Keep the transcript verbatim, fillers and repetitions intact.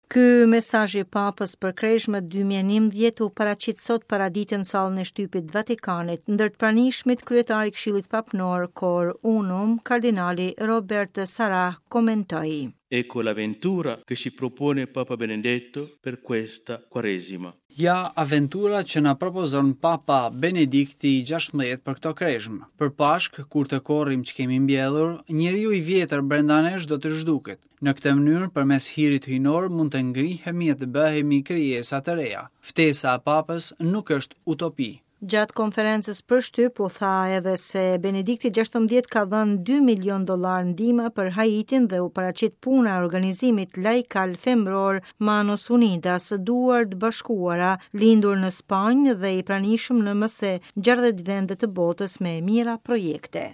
Ky mesazh i Papës për Kreshmët dy mijë e njëmbëdhjetë u paraqit sot paradite në sallën e shtypit të Vatikanit. Ndër të pranishmit, kryetari i Këshillit Papnor Cor Unum, kardinali Robert Sarah, komentoi: "Ecco l'avventura che ci propone Papa Benedetto per questa Quaresima." Ja aventura që na propozon Papa Benedikti i gjashtëmbëdhjetë për këto kreshmë. Për Pashk, kur të korrim që kemi mbjellur, njeriu i vjetër brenda nesh do të zhduket. Në këtë mënyrë, përmes hirit hyjnor, mund të ngrihemi e të bëhemi krijesa të reja. Ftesa e Papës nuk është utopi. Gjatë konferencës për shtyp u tha edhe se Benedikti gjashtëmbëdhjetë ka dhënë dy milion dollar ndihma për Haitin dhe u paraqit puna e organizimit laikal femror Manos Unidas, Duar të Bashkuara, lindur në Spanjë dhe i pranishëm në më se gjashtëdhjetë vende të botës me mijëra projekte.